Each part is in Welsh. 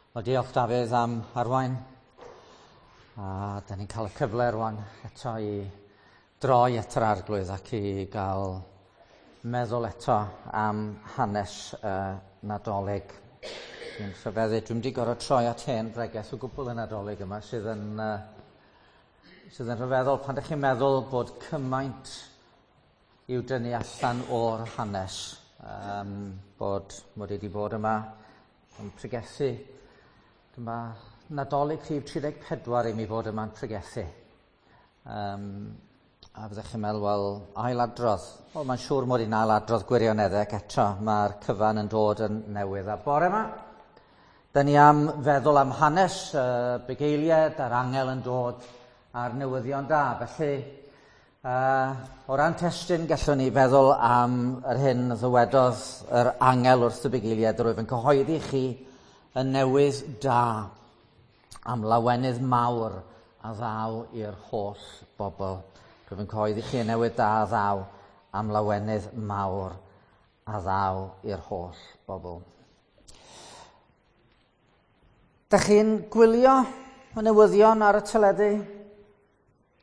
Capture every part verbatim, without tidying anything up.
Wel, diolch Dafydd am arwain. A da ni'n cael y cyfle rwan eto i droi at yr Arglwydd ac i gael meddwl eto am hanes uh, Nadolig. Dwi'n rhyfeddu, dwi'n wedi gorfod troi at hen bregeth o gwbl y Nadolig yma sydd yn, uh, sydd yn rhyfeddol pan ydych chi'n meddwl bod cymaint i'w dynnu allan o'r hanes. Um, bod mod i wedi bod yma yn pregethu. Dyma Nadolig rhif tri deg pedwar i mi fod yma'n pregethu. Um, a fyddech chi'n meddwl, wel, ailadrodd. Wel, mae'n siŵr mod i'n ailadrodd gwirioneddau ac eto mae'r cyfan yn dod yn newydd. A bore yma, da ni am feddwl am hanes uh, bugeiliaid a'r angel yn dod a'r newyddion da. Felly, uh, o ran testun, gallwn ni feddwl am yr hyn ddywedodd yr angel wrth y bugeiliaid, rwyf yn cyhoeddi chi y newydd da am lawenydd mawr a ddaw i'r holl bobl. Rwyf yn cyhoeddi chi y newydd da a ddaw am lawenydd mawr a ddaw i'r holl bobl. Dach chi'n gwylio y newyddion ar y teledu?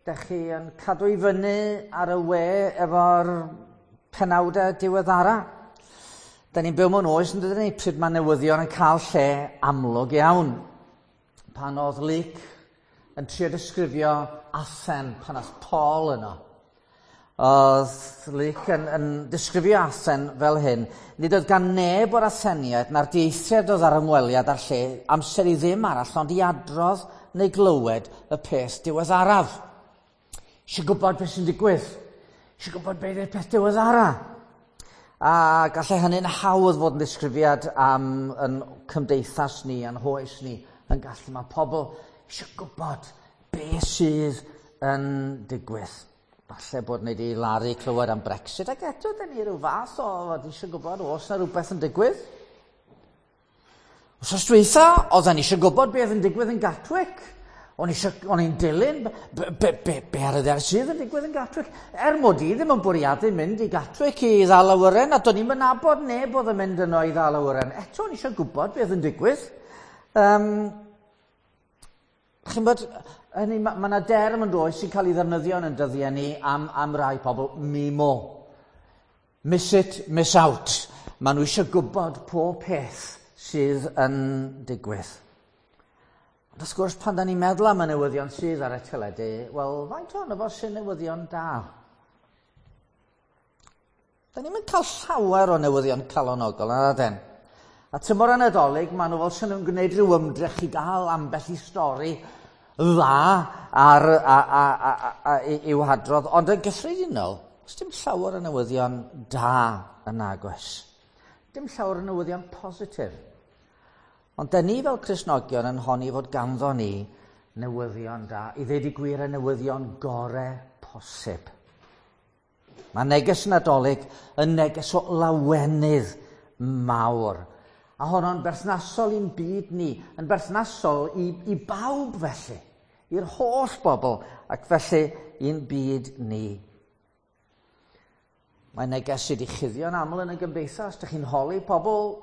Dach chi yn cadw i fyny ar y we efo'r penawdau diweddara? Da ni'n byw mewn oes yn dydyn ni pryd mae newyddion yn cael lle amlwg iawn. Pan oedd Luc yn trio disgrifio Athen pan oedd Paul yno, oedd Luc yn, yn disgrifio Athen fel hyn. Nid oedd gan neb o'r Atheniaid na'r dieithriad oedd ar ymweliad â'r lle amser i ddim arall ond i adrodd neu glywed y peth diweddaraf. Eisiau gwybod beth sy'n digwydd. Eisiau gwybod beth yw'r peth diweddara. A gallai hynny'n hawdd fod yn ddisgrifiad am yn cymdeithas ni, a'n hoes ni, yn gallu. Mae pobl eisiau gwybod beth sydd yn digwydd. Falle bod ni wedi laru clywed am Brexit, ac eto dyn ni rhyw fath o fod eisiau gwybod oes na rhywbeth yn digwydd. Wsos dwytha, oedden ni eisiau gwybod beth yn digwydd yn Gatwick. O'n i'n dilyn be, be, be, be ar y ddaear sydd yn digwydd yn Gatwick. Er mod i ddim yn bwriadu mynd i Gatwick i ddal awyren, a do'n i'm yn nabod neb oedd yn mynd yno i ddal awyren. Eto o'n i eisiau gwybod beth yn digwydd. Um, chi'n bod, hynny, mae yna derm yn does sy'n cael ei ddefnyddio yn dyddiau ni am, am rai pobl, MIMO. Miss it, miss out. Maen nhw eisiau gwybod pob peth sydd yn digwydd. Ond wrth gwrs, pan da ni'n meddwl am y newyddion sydd ar y teledu, wel, faint ohono fo sy'n newyddion da? Da ni'n cael llawer o newyddion calonogol, na den. A tymor y Nadolig, maen nhw fel sy'n nhw'n gwneud rhyw ymdrech i gael ambell i stori dda ar, a, a, a, a, a, i'w hadrodd. Ond yn gyffredinol, does dim llawer o newyddion da yn agos. Dim llawer o newyddion positif. Ond da ni fel Cristnogion yn honni fod ganddo ni newyddion da, i ddweud y gwir y newyddion gore posib. Mae neges Nadolig yn neges o lawenydd mawr. A honno'n berthnasol i'n byd ni, yn berthnasol i, i bawb felly, i'r holl bobl, ac felly i'n byd ni. Mae neges sydd wedi chuddio'n aml yn y gymdeithas. Dych chi'n holi pobl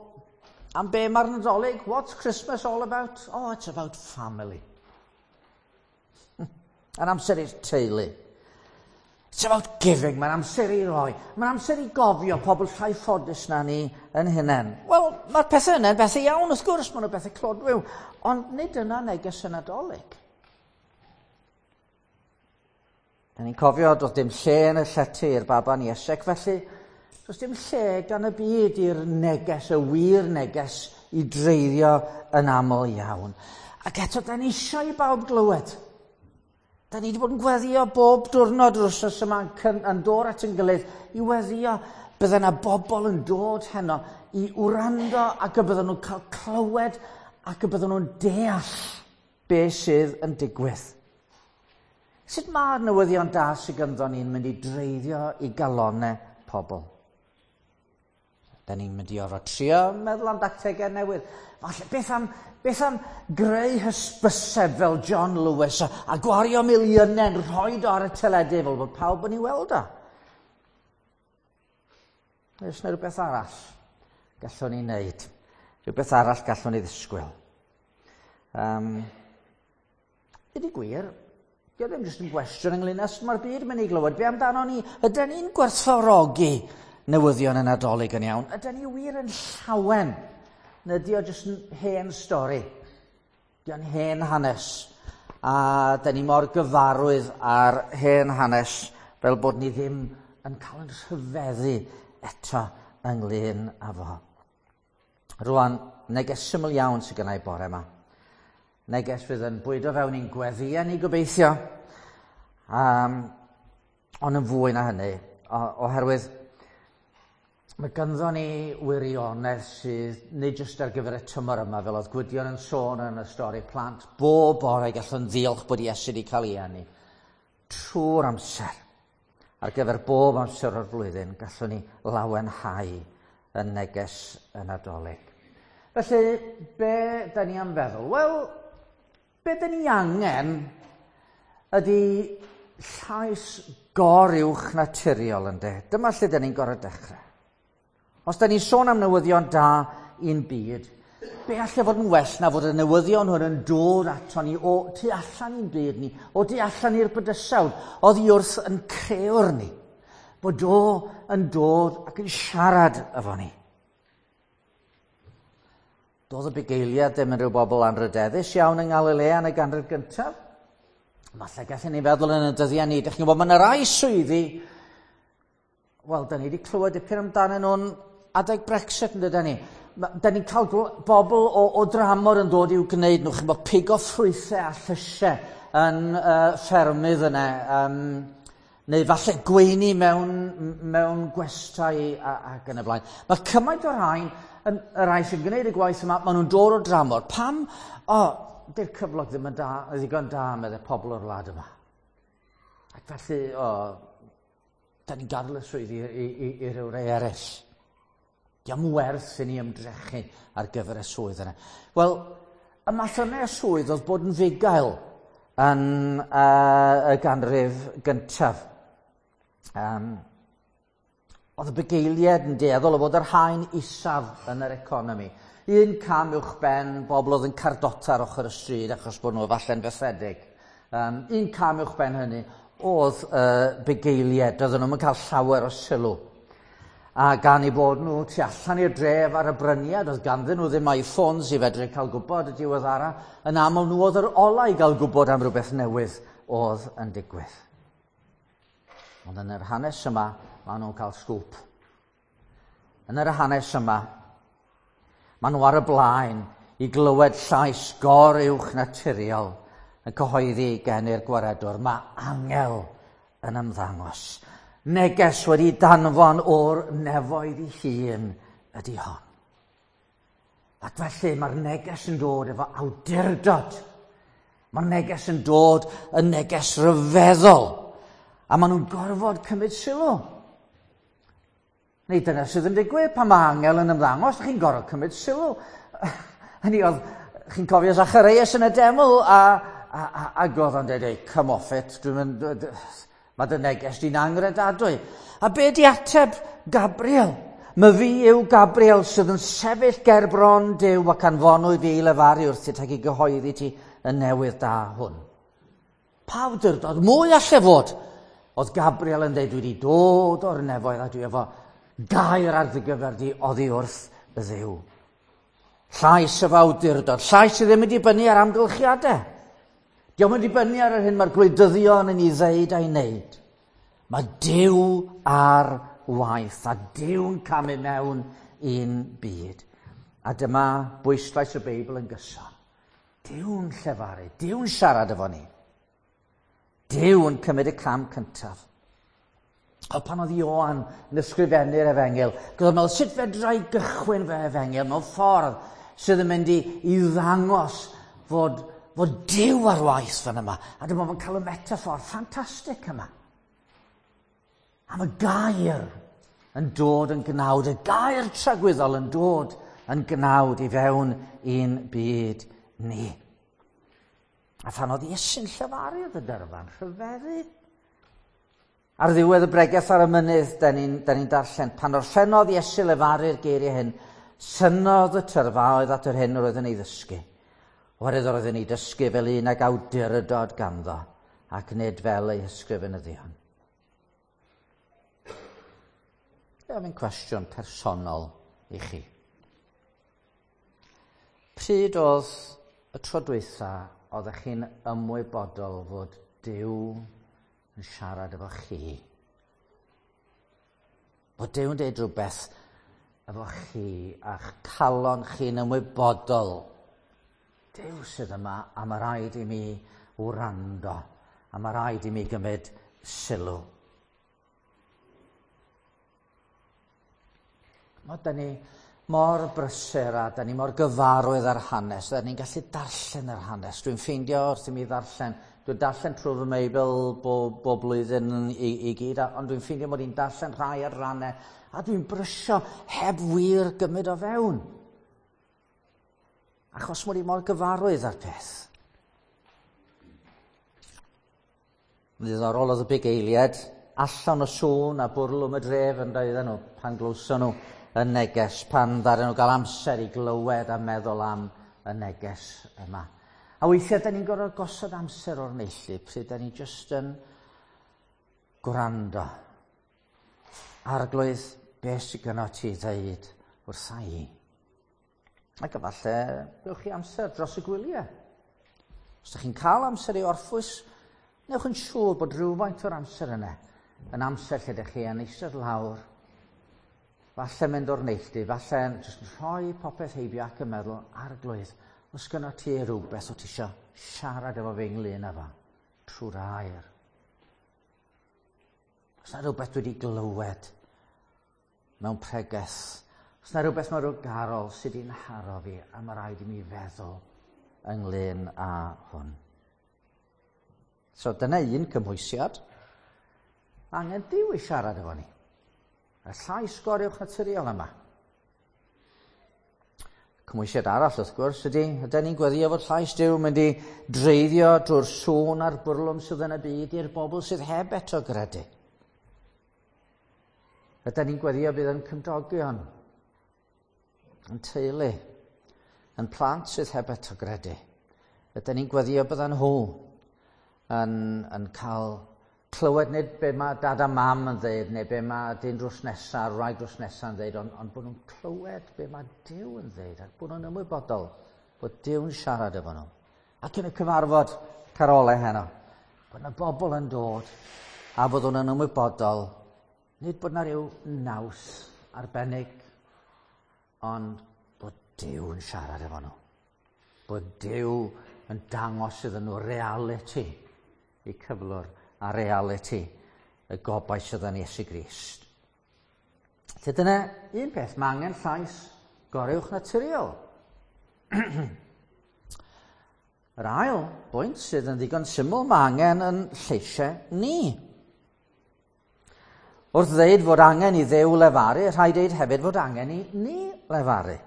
am be mae'r Nadolig? What's Christmas all about? Oh, it's about family. Yn amser i'r teulu. It's about giving. Mae'n amser i roi. Mae'n amser i gofio pobl llai ffodus na ni yn hunain. Wel, mae'r pethau yna'n bethau iawn, wrth gwrs, maen nhw'n bethau clodwiw. Ond nid yna neges y Nadolig. Da ni'n cofio, doedd dim lle yn y llety i'r baban Iesu, felly does dim lle gan y byd i'r neges, y wir neges, i dreiddio yn aml iawn. Ac eto, da ni eisiau i bawb glywed. Da ni wedi bod yn gweddio bob diwrnod yr wythnos yma yn, yn dod at yn gilydd i weddio. Bydde yna bobl yn dod heno i wrando ac y bydden nhw'n cael clywed ac y bydden nhw'n deall be sydd yn digwydd. Sut mae'r newyddion da sydd ganddo ni'n mynd i dreiddio i galonnau pobl? Da ni'n mynd i orfod trio meddwl am dactegau newydd. Falle, beth am, beth am greu hysbyseb fel John Lewis a, a gwario miliynau'n rhoi o ar y teledu fel bod pawb yn ei weld o? Oes yna rhywbeth arall gallwn ni wneud? Rhywbeth arall gallwn ni ddisgwyl? Um, Ydy gwir, dio ddim jyst yn gwestiwn ynglyn â sut mae'r byd yn mynd i glywed. Be amdano ni? Ydyn ni'n gwerthfawrogi newyddion y Nadolig yn iawn? Ydyn ni wir yn llawen? Neu ydy o jyst yn hen stori? Di o'n hen hanes? A dyn ni mor gyfarwydd ar hen hanes fel bod ni ddim yn cael yn rhyfeddu eto ynglyn â fo. Rwan, neges syml iawn sydd gennau bore yma. Neges fydd yn bwydo fewn i'n gweddïau ni gobeithio. Um, ond yn fwy na hynny, oherwydd mae ganddo ni wirionedd sydd nid jyst ar gyfer y tymor yma, fel oedd Gwydion yn sôn yn y stori plant, bob bore gallwn ddiolch bod Iesu wedi cael ei eni. Trwy'r amser, ar gyfer bob amser o'r flwyddyn, gallwn ni lawenhau yn neges y Nadolig. Felly, be da ni am feddwl? Wel, be da ni angen ydy llais goruwch naturiol, ynddo. Dyma lle da ni'n gorfod dechrau. Os da ni'n sôn am newyddion da i'n byd, be allai fod yn well na fod y newyddion hwn yn dod ato ni o tu allan i'n byd ni, o tu allan i'r bydysawd, oddi wrth yn crëwr ni, bod o yn dod ac yn siarad efo ni. Doedd y bugeiliad ddim yn rhyw bobl anrydeddus iawn yng Ngalilea yn y ganrif gyntaf. Falle gallwn ni feddwl yn y dyddiau ni. Dych chi'n gwybod, mae yna rai swyddi, wel, da ni wedi clywed dipyn amdanyn nhw'n adeg Brexit, yn dydyn ni. Da ni'n cael bobl o, o dramor yn dod i'w gwneud nhw, chi'n bod pigo ffrwythau a llysiau yn uh, ffermydd yna, um, neu falle gweini mewn, mewn gwestai ac yn y blaen. Mae cymaint o'r rhain, yn, y rhai sy'n gwneud y gwaith yma, maen nhw'n dod o dramor. Pam? O, di'r cyflog ddim yn da, ddigon da, meddai pobl o'r wlad yma. Ac felly, o, da ni'n gadael y swyddi i, i, i, i ryw rai eraill. Diolch werth i ni ymdrechu ar gyfer y swydd yna. Wel, y math yna o swydd oedd bod yn fugail yn uh, y ganrif gyntaf. Um, oedd y bugeiliaid yn dueddol o fod yr haen isaf yn yr economi. Un cam uwch ben bobl oedd yn cardota ar ochr y stryd achos bod nhw falle'n fethedig. Um, un cam uwch ben hynny oedd uh, bugeiliaid, doedden nhw'n cael llawer o sylw. A gan eu bod nhw tu allan i'r dref ar y bryniad, oedd ganddyn nhw ddim iPhones i fedru cael gwybod y diweddara, yn aml nhw oedd yr ola i gael gwybod am rhywbeth newydd oedd yn digwydd. Ond yn yr hanes yma, maen nhw'n cael sgwp. Yn yr hanes yma, maen nhw ar y blaen i glywed llais goruwch naturiol yn cyhoeddi gen i'r gwaredwr. Mae angel yn ymddangos. Neges wedi danfon o'r nefoedd ei hun ydy hon. Ac felly mae'r neges yn dod efo awdurdod. Mae'r neges yn dod yn neges ryfeddol. A maen nhw'n gorfod cymryd sylw. Neu dyna sydd yn digwydd pan mae angel yn ymddangos, chi'n gorfod cymryd sylw. Hynny oedd, chi'n cofio Zacharias yn y deml, a, a, a, ac oedd o'n dweud, hey, come off it, dwi'n mynd, mae dy neges di'n angredadwy. A be di ateb Gabriel? My fi yw Gabriel sydd yn sefyll ger bron Duw ac anfonwyd fi i lefaru wrthyt ac i gyhoeddi ti y newydd da hwn. Pa awdurdod mwy alle fod? Oedd Gabriel yn dweud, dwi wedi dod o'r nefoedd a dwi efo gair ar dy gyfer di oddi wrth y Dduw. Llais efo awdurdod, llais sydd ddim yn dibynnu ar amgylchiadau. Dio'm yn dibynnu ar yr hyn mae'r gwleidyddion yn ei ddeud a'i wneud. Mae Duw ar waith a Duw'n camu mewn i'n byd. A dyma bwyslais y Beibl yn gyson. Duw'n llefaru, Duw'n siarad efo ni. Duw'n cymryd y cam cyntaf. O pan oedd Ioan yn ysgrifennu'r efengyl, gyda meddwl, sut fedra i gychwyn fy efengyl mewn ffordd sydd yn mynd i, i ddangos fod, fod Duw ar waith fan yma. A dyma fo'n cael y metaffор ffantastig yma. Am y gair yn dod yn gnawd, y gair tragwyddol yn dod yn gnawd i fewn i'n byd ni. A phan oedd Iesu'n llefaru oedd y dyrfa'n rhyfeddu. Ar ddiwedd y bregeth ar y mynydd, da ni'n ni darllen, pan orffennodd Iesu lefaru'r geiriau hyn, synnodd y tyrfaoedd at yr hyn yr oedd yn ei ddysgu. Oherwydd oedd yn ei dysgu fel un ag awdurdod ganddo, ac nid fel ei hysgrifenyddion. Dwi'n cwestiwn personol i chi. Pryd oedd y tro dwytha oeddech chi'n ymwybodol fod Duw yn siarad efo chi? Bod Duw yn dweud rhywbeth efo chi a'ch calon chi'n ymwybodol. Duw sydd yma a mae rhaid i mi wrando a mae rhaid i mi gymryd sylw. Mae da ni mor brysur a da ni mor gyfarwydd ar hanes, da ni'n gallu darllen yr hanes. Dwi'n ffeindio wrth i mi ddarllen, dwi'n darllen trwy fy Meibl bob, bob blwyddyn i, i gyd, ond dwi'n ffeindio mod i'n darllen rhai adrannau, a dwi'n brysio heb wir gymryd o fewn. Achos mod i mor gyfarwydd â'r peth. Yn ddiddorol oedd y bugeiliaid allan o sŵn a bwrlwm y dref yn doedden nhw pan glywson nhw y neges, pan ddaru nhw gael amser i glywed a meddwl am y neges yma. A weithiau, da ni'n gorfod gosod amser o'r neilltu pryd da ni jyst yn gwrando. Arglwydd, beth sydd gynno ti ddeud wrtha i? Ac efallai, gewch chi amser dros y gwyliau. Os ydych chi'n cael amser i orffwys, newch yn siŵr bod rhywfaint o'r amser yna yn amser lle ydych chi yn eistedd lawr, falle mynd o'r neilltu, falle jyst yn rhoi popeth heibio ac yn meddwl, Arglwydd, os gynno ti rhywbeth o ti isio siarad efo fi ynglyn â fo, trwy'r air. Os na rhywbeth dwi wedi glywed mewn pregeth, os na rhywbeth mewn rhyw garol sydd wedi'n haro fi, a mae rhaid i mi feddwl ynglyn â hwn. So dyna un cymhwysiad. Angen Duw i siarad efo ni. Y llais goruwch naturiol yma. Cymhwysiad arall, wrth gwrs, ydy, ydyn ni'n gweddio fod llais Duw mynd i dreiddio drwy'r sŵn a'r bwrlwm sydd yn y byd i'r bobl sydd heb eto gredu. Ydyn ni'n gweddio bydd yn cymdogion, yn teulu, yn plant sydd heb eto gredu. Ydyn ni'n gweddio byddan nhw yn, yn cael clywed nid be mae dad a mam yn dweud, neu be mae dyn drws nesaf, a'r wraig drws nesaf yn dweud, ond, ond bod nhw'n clywed be mae Duw yn dweud, ac bod nhw'n ymwybodol bod Duw'n siarad efo nhw. Ac yn y cyfarfod carolau heno, bod yna bobl yn dod a bod nhw'n ymwybodol, nid bod yna rhyw naws arbennig, ond bod Duw yn siarad efo nhw. Bod Duw yn dangos iddyn nhw reality i cyflwr a reality y gobaith sydd yn Iesu Grist. Felly dyna un peth, mae angen llais goruwch naturiol. Yr ail bwynt sydd yn ddigon syml, mae angen yn lleisiau ni. Wrth ddeud fod angen i Dduw lefaru, rhaid deud hefyd fod angen i ni lefaru.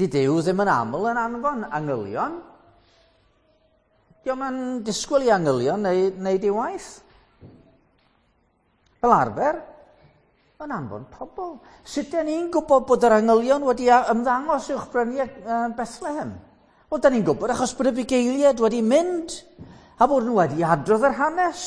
Di Duw ddim yn aml yn anfon angylion. Dio'm yn disgwyl i angylion neu wneud ei waith. Fel arfer, yn anfon pobl. Sut dyn ni'n gwybod bod yr angylion wedi ymddangos uwch bryniau Bethlehem? Wel, dyn ni'n gwybod achos bod y bugeiliaid wedi mynd a bod nhw wedi adrodd yr hanes.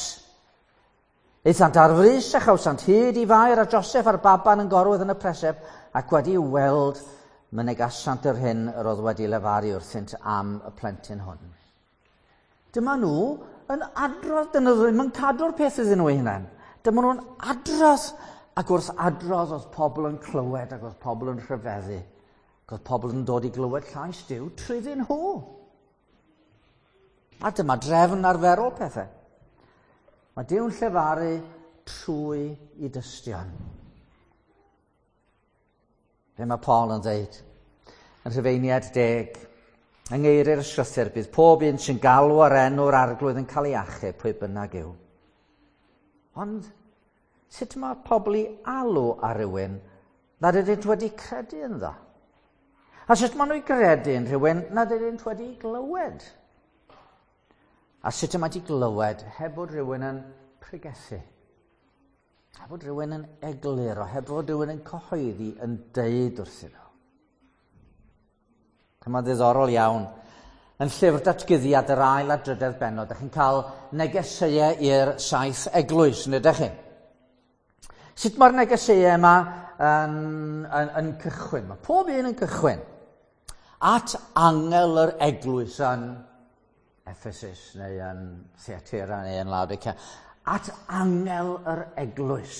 Aethant ar frys a chawsant hyd i Fair a Joseph a'r baban yn gorwedd yn y preseb ac wedi weld mynegasant yr hyn yr oedd wedi lefaru wrthynt am y plentyn hwn. Dyma nhw yn adrodd, dyn nhw ddim yn cadw'r peth iddyn nhw eu hunain. Dyma nhw'n adrodd, ac wrth adrodd oedd pobl yn clywed ac oedd pobl yn rhyfeddu. Ac oedd pobl yn dod i glywed llais Duw trwyddyn nhw. A dyma drefn arferol pethau. Mae Duw'n llefaru trwy i dystion. Be mae Paul yn dweud? Yn Rhufeiniaid deg, yng ngeiriau'r ysgrythur, bydd pob un sy'n galw ar enw'r Arglwydd yn cael ei achub, pwy bynnag yw. Ond sut mae pobl i alw ar rywun nad ydynt wedi credu ynddo? A sut maen nhw i gredu yn rhywun nad ydynt wedi glywed? A sut y mae wedi glywed heb fod rhywun yn pregethu? Heb fod rhywun yn egluro, heb fod rhywun yn cyhoeddi yn deud wrthyn nhw. Mae'n ddiddorol iawn. Yn llyfr datguddiad yr ail a drydedd bennod, ydych chi'n cael negeseuau i'r saith eglwys, yn ydych chi? Sut mae'r negeseuau yma yn, yn, yn cychwyn? Mae pob un yn cychwyn. At angel yr eglwys yn Ephesus neu yn Thyatira neu yn Laodicea. At angel yr eglwys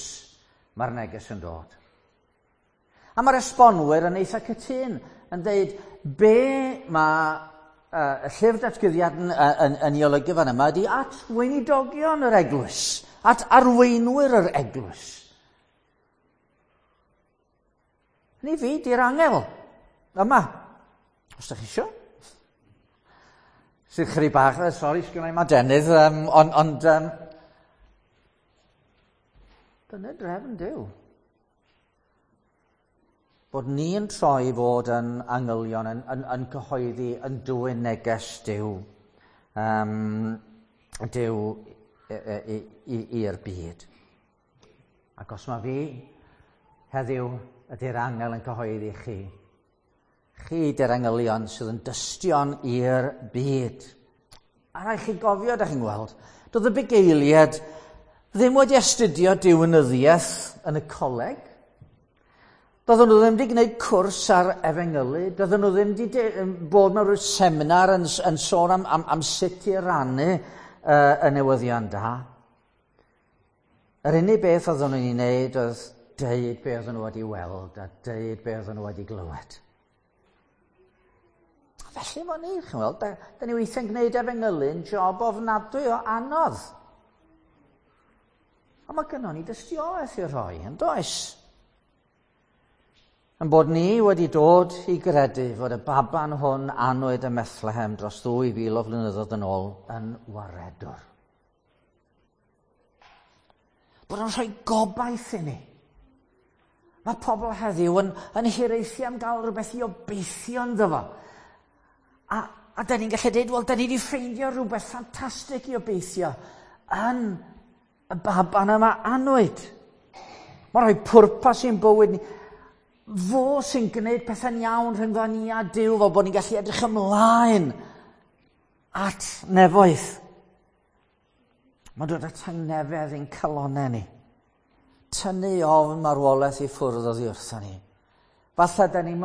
mae'r neges yn dod. A mae'r esbonwyr yn eitha cytun yn dweud be mae uh, y llyfr datguddiad yn, yn, yn ei olygu fan yma ydy at weinidogion yr eglwys, at arweinwyr yr eglwys. Ni fi, di'r angel yma, os ydych chi isio. Sydd chydig bach, sori, sgynna i'm adenydd, um, ond on, um, dyna drefn Duw. Bod ni'n troi fod yn angylion, yn, yn, yn cyhoeddi, yn dwyn neges Duw, um, Duw i'r byd. Ac os mae fi heddiw ydy'r angel yn cyhoeddi chi, chi ydy'r angylion sydd yn dystion i'r byd. A rhaid chi gofio, da chi'n gweld, doedd y bugeiliaid ddim wedi astudio diwinyddiaeth yn y coleg. Doedden nhw ddim wedi gwneud cwrs ar efengylu, doedden nhw ddim wedi bod mewn rhyw seminar yn, yn sôn am, am, am sut i rannu uh, y newyddion da. Yr unig beth oedden nhw'n ei wneud oedd deud be oedden nhw wedi weld a deud be oedden nhw wedi glywed. Felly fo ni, chi'n weld, da, da ni weithiau'n gwneud efengylu'n job ofnadwy o anodd. Ond mae gynnon ni dystiolaeth i roi, yn does? Yn bod ni wedi dod i gredu fod y baban hwn anwyd ym Methlehem dros ddwy fil o flynyddoedd yn ôl yn waredwr. Bod o'n rhoi gobaith i ni. Mae pobl heddiw yn, yn hiraethu am gael rhywbeth i obeithio ynddo fo. A, a da ni'n gallu dweud, wel, da ni wedi ffeindio rhywbeth ffantastig i obeithio yn y baban yma anwyd. Mae'n rhoi pwrpas i'n bywyd ni. Fo sy'n gwneud pethau'n iawn rhyngddo ni a Duw, fel bod ni'n gallu edrych ymlaen at nefoedd. Mae'n dod at tangnefedd i'n calonnau ni. Tynnu ofn marwolaeth i ffwrdd oddi wrthon ni. Falle da ni'n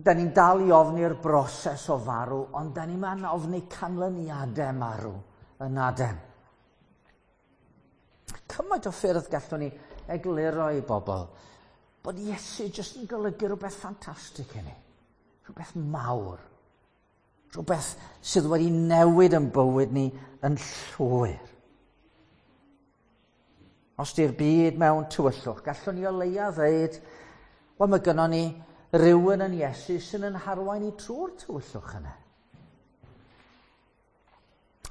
da ni dal i ofni'r broses o farw, ond da ni'n ma'n ofni canlyniadau marw yn adem. Cymaint o ffyrdd gallwn ni egluro i bobl bod Iesu jyst yn golygu rhywbeth ffantastig i ni. Rhywbeth mawr. Rhywbeth sydd wedi newid yn bywyd ni yn llwyr. Os di'r byd mewn tywyllwch, gallwn ni o leia ddeud, wel, mae gynnon ni rhywun yn Iesu sy'n yn harwain ni trwy'r tywyllwch yna.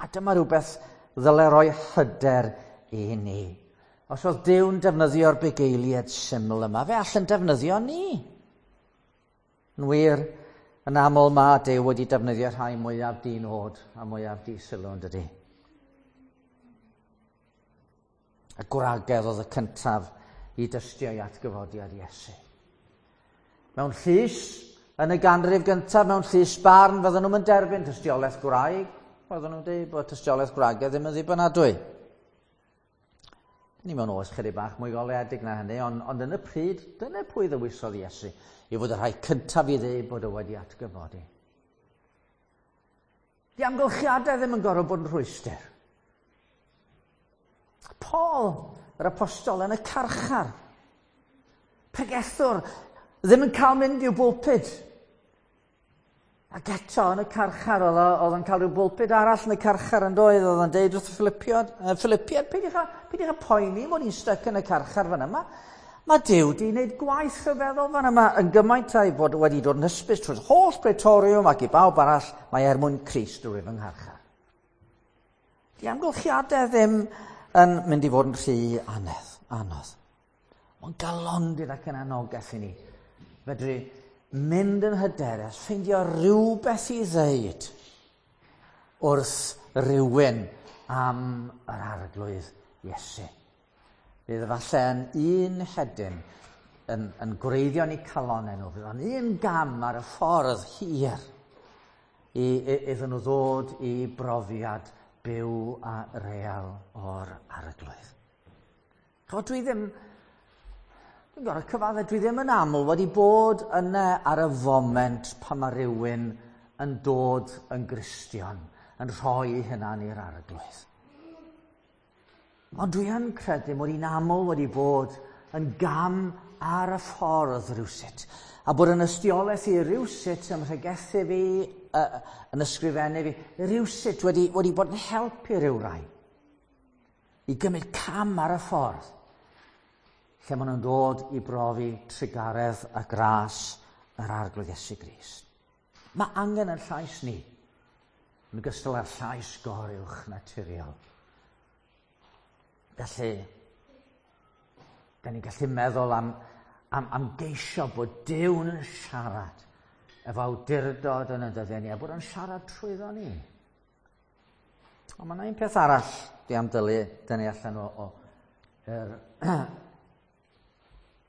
A dyma rhywbeth ddyle roi hyder i ni. Os oedd Duw'n defnyddio'r bugeiliaid syml yma, fe all yn defnyddio ni. Yn wir, yn aml mae Duw wedi defnyddio rhai mwyaf di-nod a mwyaf di-sylw, yn dydi? Y gwragedd oedd y cyntaf i dystio i atgyfodiad Iesu. Mewn llys, yn y ganrif gyntaf, mewn llys barn, fydden nhw'n derbyn tystiolaeth gwraig. Fydden nhw'n dweud bod tystiolaeth gwragedd ddim yn ddibynadwy. Ni mewn oes chydig bach mwy goleuedig na hynny, ond, ond yn y pryd, dyna pwy ddewisodd Iesu i fod y rhai cyntaf i ddeud bod o wedi atgyfodi. Di amgylchiadau ddim yn gorfod bod yn rhwystr. Paul, yr apostol, yn y carchar, pregethwr, ddim yn cael mynd i'w bwlpud. Ac eto yn y carchar, oedd o'n cael rhyw bwlpud arall yn y carchar yn doedd, oedd o'n deud wrth y Philippiad, Philippiad, peidiwch â, peidiwch â poeni mod i'n styc yn y carchar fan yma. Mae Duw wedi gwneud gwaith rhyfeddol fan yma yn gymaint a'i fod wedi dod yn hysbys trwy'r holl Praetorium ac i bawb arall, mae er mwyn Crist drwy fy ngharchar. Di amgylchiadau ddim yn mynd i fod yn rhy anedd, anodd. Mae'n galondid ac yn anogaeth i ni. Fedru mynd yn hyderus, ffeindio rhywbeth i ddeud wrth rywun am yr Arglwydd Iesu. Bydd efallai yn un hedyn yn, yn gwreiddio yn eu calonau nhw. Fydd o'n un gam ar y ffordd hir i, i, iddyn nhw ddod i brofiad byw a real o'r Arglwydd. Chod, dwi ddim, dwi'n gorfod cyfadde, dwi ddim yn aml wedi bod yna ar y foment pan mae rhywun yn dod yn Gristion, yn rhoi hynna'n i'r Arglwydd. Ond dwi yn credu mod i'n aml wedi bod yn gam ar y ffordd rhywsut, a bod yn ystiolaeth i rhywsut ym mhregethu fi, uh, yn ysgrifennu fi, rhywsut wedi, wedi bod yn helpu rhywrai i gymryd cam ar y ffordd, lle maen nhw'n dod i brofi trugaredd a gras yr Arglwydd Iesu Grist. Mae angen yn llais ni, yn ogystal â'r llais goruwch naturiol. Felly, da ni'n gallu meddwl am, am, am geisio bod Duw'n yn siarad efo awdurdod yn y dyddiau ni, a bod o'n siarad trwyddo ni. Ond mae yna un peth arall dwi am dylu dynnu allan o, o, er,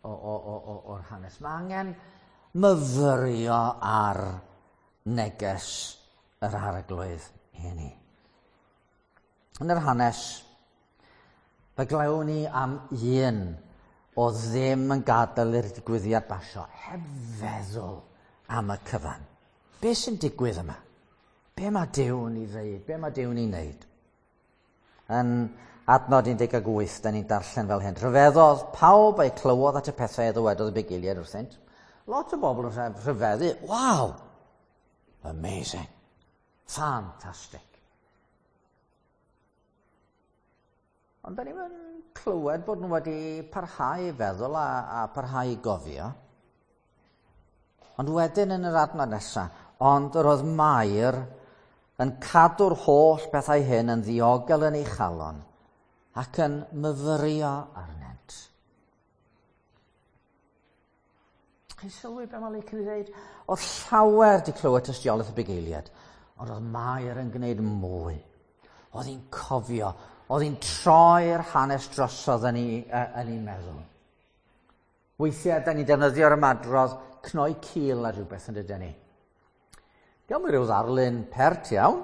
o, o, o, o, o'r hanes. Mae angen myfyrio ar neges yr Arglwydd i ni. Yn yr hanes, fe glywn ni am un o ddim yn gadael i'r digwyddiad basio, heb feddwl am y cyfan. Be sy'n digwydd yma? Be mae Duw'n ei ddeud? Be mae Duw'n ei wneud? Yn adnod un deg wyth, da ni'n darllen fel hyn. Rhyfeddodd pawb a'i clywodd at y pethau a ddywedodd y bugeiliaid wrthynt. Lot o bobl yn rhyfeddu. Waw! Amazing. Fantastic. Ond da ni'n clywed bod nhw wedi parhau i feddwl a, a parhau i gofio. Ond wedyn yn yr adnod nesaf, ond yr oedd Mair yn cadw'r holl bethau hyn yn ddiogel yn ei chalon ac yn myfyrio arnynt. Chi'n sylwi be mae Luc yn ei ddeud? Oedd llawer wedi clywed tystiolaeth y bugeiliaid, ond oedd Mair yn gwneud mwy. Oedd hi'n cofio, oedd hi'n troi'r hanes drosodd yn ei, yn ei meddwl. Weithiau, da ni'n defnyddio'r ymadrodd cnoi cil ar rhywbeth yn dydyn ni. Diolch yn rhyw ddarlun pert iawn.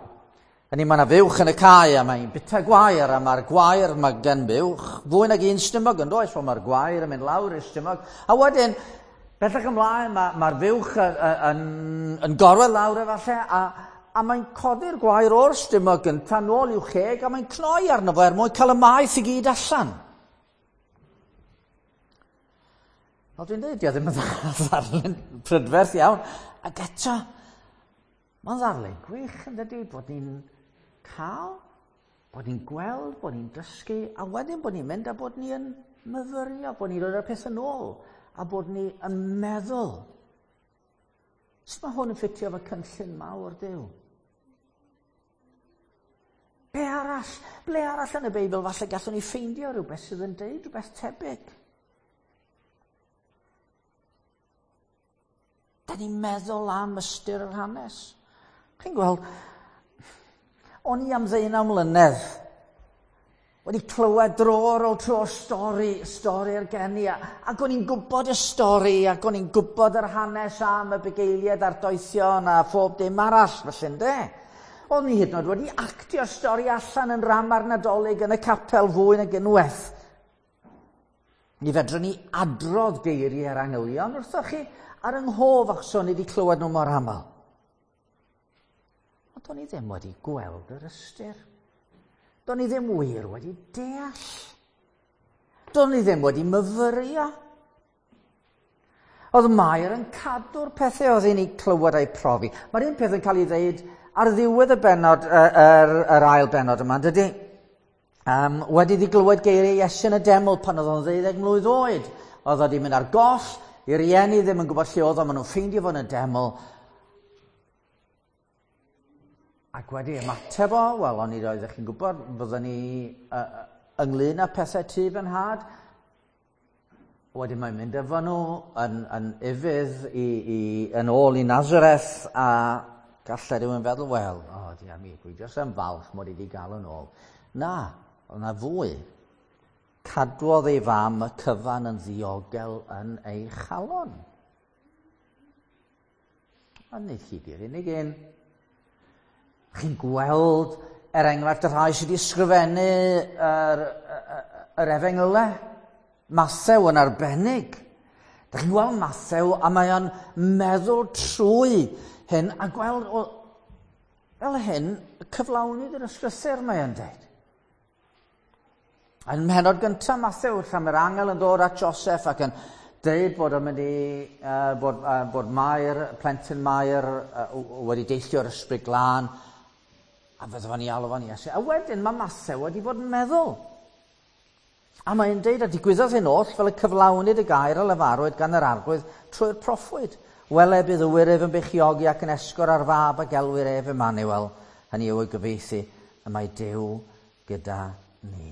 Hynny, mae yna fuwch yn y cae a mae'n bita gwair a mae'r gwair, mae gen buwch fwy nag un stumog yn does, mae'r gwair yn mynd lawr i'r stumog. A wedyn, bellach ymlaen, mae'r ma fuwch yn, yn, yn gorwedd lawr efallai a, a mae'n codi'r gwair o'r stumog gyntaf nôl i'w cheg a mae'n cnoi arno fo er mwyn cael y maeth i gyd allan. Fel dwi'n dweud, dio ddim yn ddarlun prydferth iawn. Ac eto, mae'n ddarlun gwych yn dydy, bod ni'n cael, bod ni'n gweld, bod ni'n dysgu, a wedyn bod ni'n mynd a bod ni'n myfyrio, bod ni'n rhoi'r peth yn ôl, a bod ni yn meddwl. Sut mae hwn yn ffitio efo cynllun mawr Duw? Be arall? Ble arall yn y Beibl falle gallwn ni ffeindio rhywbeth sydd yn deud rhywbeth tebyg? Da ni'n meddwl am ystyr yr hanes. Chi'n gweld, o'n i am ddeunaw mlynedd wedi clywed dro ar ôl tro stori, stori'r geni, ac o'n i'n gwybod y stori, ac o'n i'n gwybod yr hanes am y bugeiliaid a'r doethion a phob dim arall, felly ynde. O'n i hyd yn oed wedi actio'r stori allan yn ram ar Nadolig yn y capel fwy nag unwaith. Mi fedrwn ni adrodd geiriau'r angylion wrthoch chi ar yng nghof achos o'n i wedi clywed nhw mor aml. Ond o'n i ddim wedi gweld yr ystyr. Do'n i ddim wir wedi deall. Do'n i ddim wedi myfyrio. Oedd Mair yn cadw'r pethau oedd hi'n ei clywed a'i profi. Mae'r un peth yn cael ei ddeud ar ddiwedd y bennod, yr, yr, yr ail bennod yma, dydy? Um, wedi iddi glywed geiriau Iesu yn y deml pan oedd o'n ddeuddeg mlwydd oed. Oedd o wedi mynd ar goll, i rieni ddim yn gwybod lle oedd o, maen nhw'n ffeindio fo yn y deml. Ac wedi ymateb o, wel, o'n i oeddech chi'n gwybod, fyddwn ni uh, ynglyn â pethau tŷ fy nhad. Wedyn mae'n mynd efo nhw yn, yn ufudd i, i, yn ôl i Nazareth, a gallai rhywun feddwl, wel, o, oh, dia mi, dwi jyst yn falch mod i wedi gael yn ôl. Na, oedd na fwy. Cadwodd ei fam y cyfan yn ddiogel yn ei chalon. A nid hi di'r unig un. Chi'n gweld, er enghraifft, y rhai sydd wedi ysgrifennu yr, yr efengylau. Mathew yn arbennig. Da chi'n gweld Mathew a mae o'n meddwl trwy hyn a gweld o, fel hyn cyflawnid yr ysgrythur mae o'n dweud. Yn mhenod gyntaf Mathew, lle mae'r angel yn dod at Joseph ac yn deud bod o'n mynd i, uh, bod, uh, bod Mair, plentyn Mair uh, wedi deillio o'r Ysbryd Glân, a fydde fo'n ei alw fo'n Iesu. A wedyn mae Mathew wedi bod yn meddwl. A mae'n deud, a digwyddodd hyn oll fel y cyflawnid y gair a lefarwyd gan yr Arglwydd trwy'r proffwyd. Wele bydd y wyryf yn beichiogi ac yn esgor ar fab a gelwir ef Emmanuel, hynny yw ei gyfieithu, y mae Duw gyda ni.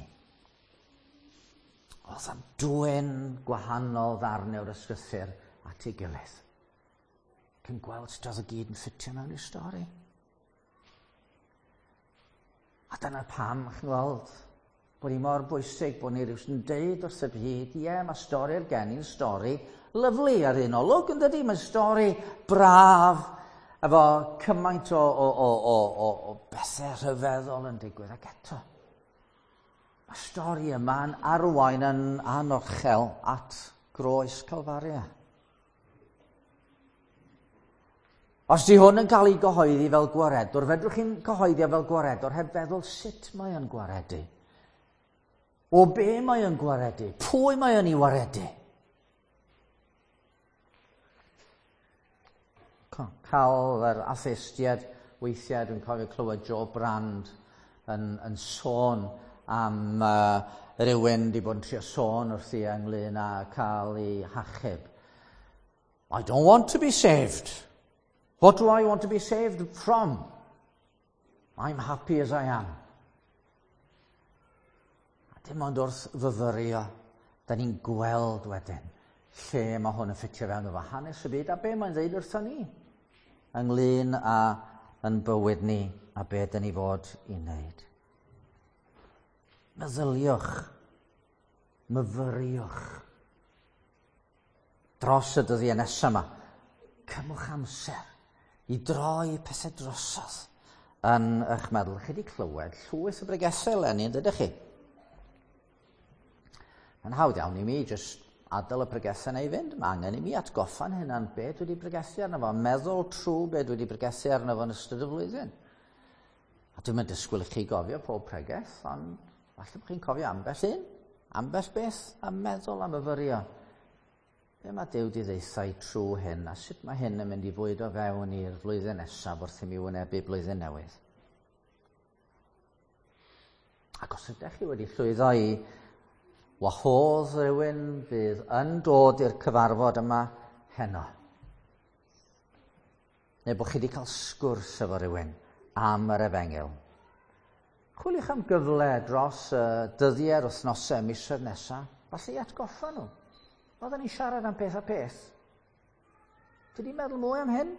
Oedd am dwyn gwahanol ddarnau o'r ysgrythur at ei gilydd. Cyn gweld sut oedd y gyd yn ffitio mewn i'r stori. A dyna pam, chi'n gweld, bod hi mor bwysig bod ni rhywun yn deud wrth y byd, ie, mae stori'r geni'n stori lyfli ar un olwg, yn dydy? Mae'n stori braf, efo cymaint o, o, o, o, o, o bethau rhyfeddol yn digwydd, ac eto. Mae stori yma'n arwain yn anochel at groes Calfaria. Os di hwn yn cael ei gyhoeddi fel gwaredwr, fedrwch chi'n cyhoeddi fel gwaredwr heb feddwl sut mae o'n gwaredu. O be mae o'n gwaredu? Pwy mae o'n ei waredu? Cael yr atheistiad weithiau, dwi'n cofio clywed Joe Brand yn, yn sôn am uh, rywun wedi bod yn trio sôn wrthi ynglyn â cael ei hachub. I don't want to be saved. What do I want to be saved from? I'm happy as I am. A dim ond wrth fyfyrio, da ni'n gweld wedyn lle mae hwn yn ffitio fewn efo hanes y byd a be mae'n dweud wrthon ni ynglyn â yn bywyd ni a be dyn ni fod i wneud. Meddyliwch, myfyriwch dros y dyddiau nesaf yma. Cymwch amser i droi pethau drosodd yn eich meddwl. Chi wedi clywed llwyth o bregethau eleni, yn dydych chi? Mae'n hawdd iawn i mi jyst adael y pregethau yna i fynd. Mae angen i mi atgoffa'n hunan be dwi wedi pregethu arno fo, meddwl trwy be dwi wedi pregethu arno fo yn ystod y flwyddyn. A dwi'n mynd disgwyl i chi gofio pob pregeth, ond falle bod chi'n cofio ambell un, ambell beth, a meddwl am myfyrio. Be mae Duw wedi ddeutha i trwy hyn, a sut mae hyn yn mynd i fwydo fewn i'r flwyddyn nesaf wrth i mi wynebu blwyddyn newydd. Ac os ydych chi wedi llwyddo i wahodd rhywun fydd yn dod i'r cyfarfod yma heno, neu bod chi wedi cael sgwrs efo rhywun am yr efengyl, chwiliwch am gyfle dros y dyddiau'r wythnosau, misoedd nesaf, falle i atgoffa nhw. Oedden ni'n siarad am peth a peth. Ti di meddwl mwy am hyn?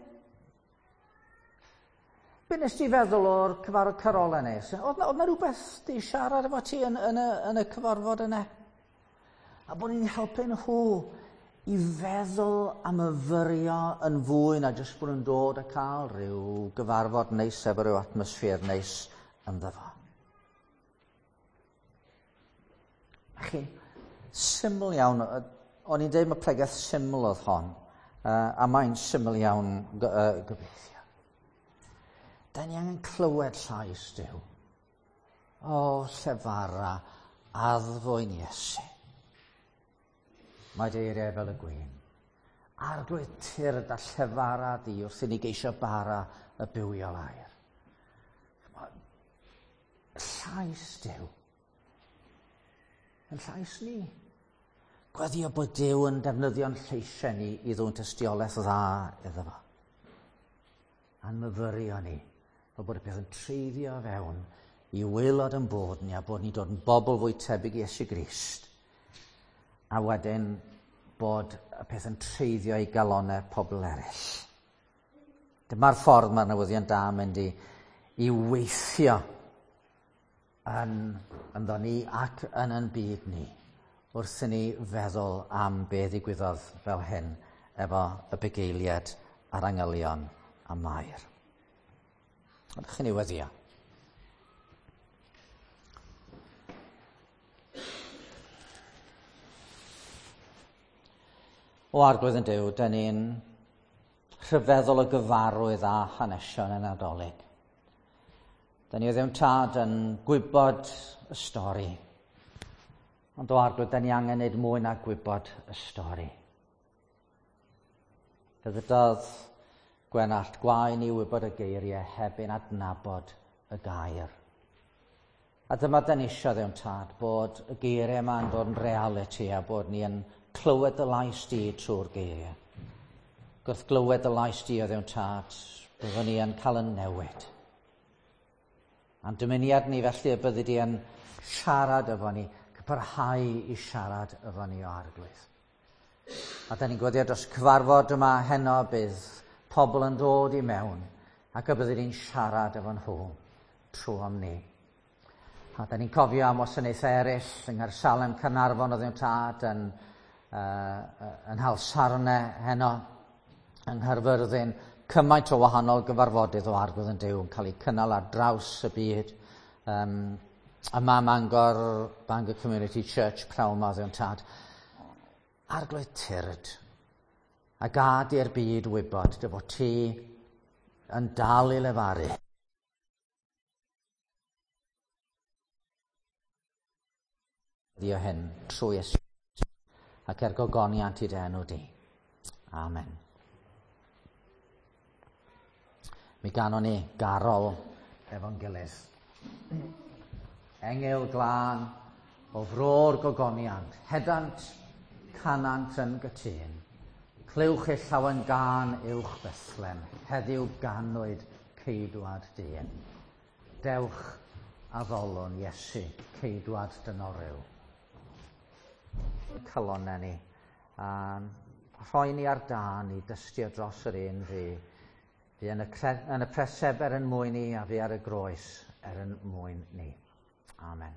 Be nes ti feddwl o'r cyfarfod carolau nes? Oedd na rhywbeth di siarad efo ti yn, yn, y, yn y cyfarfod yna? A bod ni'n helpu nhw i feddwl a myfyrio yn fwy na jyst bod nhw'n dod a cael rhyw gyfarfod neis efo rhyw atmosffer neis ynddo fo. A chi, syml iawn, o'n i'n dweud mae pregeth syml oedd hon, uh, a mae'n syml iawn uh, gobeithio. Da ni angen clywed llais Duw. O, llefara, addfwyn Iesu. Mae dy eiriau fel y gwin. Arglwydd tyrd a llefara di wrth i ni geisio bara y bywiol air. Llais Duw. Yn llais ni. Gweddio bod Duw yn defnyddio'n lleisiau ni i ddwyn tystiolaeth dda iddo fo. A'n myfyrio ni, fel bod y peth yn treiddio fewn i waelod yn bod ni a bod ni'n dod yn bobl fwy tebyg i Iesu Grist. A wedyn bod y peth yn treiddio i galonau pobl eraill. Dyma'r ffordd mae'r newyddion da yn mynd i, i weithio yn, ynddo ni ac yn yn byd ni. wrth i ni feddwl am be ddigwyddodd fel hyn efo y bugeiliad a'r angylion a Mair. Ydych chi'n ei weddio? O Arglwydd yn Duw, dyn ni'n rhyfeddol o gyfarwydd a hanesion y Nadolig. Dyn ni o ddim tad yn gwybod y stori. Ond o Arglwydd, dyn ni angen neud mwy na gwybod y stori. Fe ddydodd Gwenallt, gwae ni wybod y geiriau heb ein adnabod y gair. A dyma dyn ni isio ddim tad, bod y geiriau yma yn dod yn realiti a bod ni yn clywed y lais di trwy'r geiriau. Gwrth glywed y lais di o ddim tad, byddwn ni yn cael yn newid. A'n dymuniad ni felly y byddi di yn siarad efo ni, parhau i siarad efo ni o Arglwydd. A da ni'n gweddio dros cyfarfod yma heno bydd pobl yn dod i mewn ac y byddi di'n siarad efo nhw trwy am ni. A da ni'n cofio am wasanaethau eraill yng Nghaersalem, Caernarfon oedd yn tad yn, uh, yn Nhalsarne heno, yng Nghaerfyrddin, cymaint o wahanol gyfarfodydd o Arglwydd yn Duw yn cael eu cynnal ar draws y byd. Um, yma Mangor, Bangor Community Church, prawn ma oedd tad. Arglwydd tyrd, a gad i'r byd wybod dy fod ti yn dal i lefaru. Dio hyn trwy Iesu ac er gogoniant i dy enw di. Amen. Mi ganon ni garol efo'n gilydd. Engyl glân o fro'r gogoniant, hedant canant yn gytûn. Clywch eich llawen gân uwch Bethlem, heddiw ganwyd ceidwad dyn. Dewch addolwn Iesu, ceidwad dynol ryw. Calonnau ni, a rhoi ni ar dân i dystio dros yr un fi. Fi yn y, cre- yn y preseb er yn mwyn ni a fi ar y groes er yn mwyn ni. Amen.